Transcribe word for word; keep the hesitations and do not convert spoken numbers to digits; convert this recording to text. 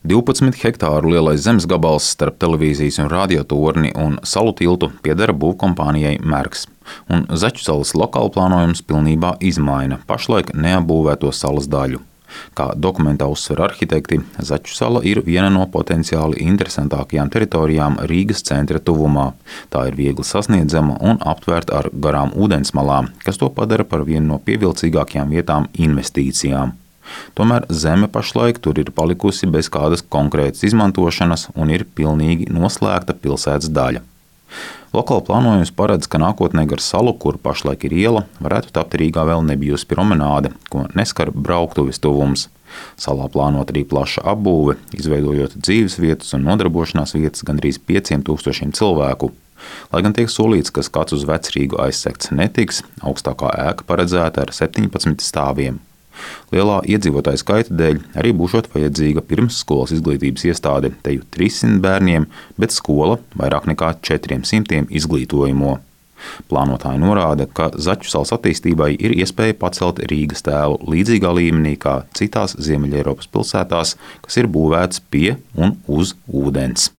divpadsmit hektāru lielais zemes gabals starp televīzijas un radiotorni un salu tiltu pieder būvkompānijai Merks, un Zaķu salas lokāla plānojums pilnībā izmaina pašlaik neapbūvēto salas daļu. Kā dokumentā uzsver arhitekti, Zaķu sala ir viena no potenciāli interesantākajām teritorijām Rīgas centra tuvumā. Tā ir viegli sasniedzama un aptvērta ar garām ūdensmalām, kas to padara par vienu no pievilcīgākajām vietām investīcijām. Tomēr zeme pašlaik tur ir palikusi bez kādas konkrētas izmantošanas un ir pilnīgi noslēgta pilsētas daļa. Lokāla plānojums paredz, ka nākotnē gar salu, kur pašlaik ir iela, varētu tapt Rīgā vēl nebijusi promenāde, ko neskar brauktuves tuvums. Salā plānot arī plaša apbūve, izveidojot dzīves vietas un nodarbošanās vietas gandrīz pieciem tūkstošiem cilvēku. Lai gan tiek solīts, ka skats uz Vecrīgu aizsegts netiks, augstākā ēka paredzēta ar septiņpadsmit stāviem. Lielā iedzīvotāju skaita dēļ arī būšot vajadzīga pirmsskolas izglītības iestāde teju trīssimt bērniem, bet skola vairāk nekā četriem simtiem izglītojamo. Plānotāji norāda, ka Zaķu salas attīstībai ir iespēja pacelt Rīgas tēlu līdzīgā līmenī kā citās Ziemeļeiropas pilsētās, kas ir būvētas pie un uz ūdens.